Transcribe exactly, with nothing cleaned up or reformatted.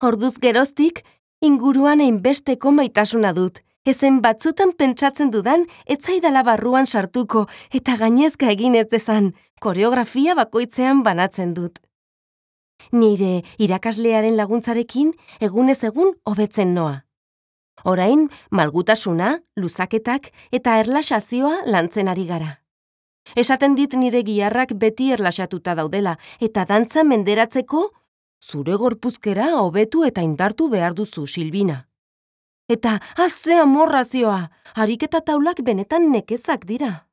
Orduz geroztik, inguruan hainbesteko maitasuna dut. Ezen batzutan pentsatzen dudan, ez zaidala barruan sartuko eta gainezka egin ez dezan, koreografia bakoitzean banatzen dut. Nire irakaslearen laguntzarekin egunez egun hobetzen noa. Orain, malgutasuna, luzaketak eta erlaxazioa lantzen ari gara. Esaten dit nire giharrak beti erlaxatuta daudela eta dantza menderatzeko zure gorpuzkera hobetu eta indartu behar duzu, Silbina. Eta, azze amorrazioa, ariketa taulak benetan nekezak dira.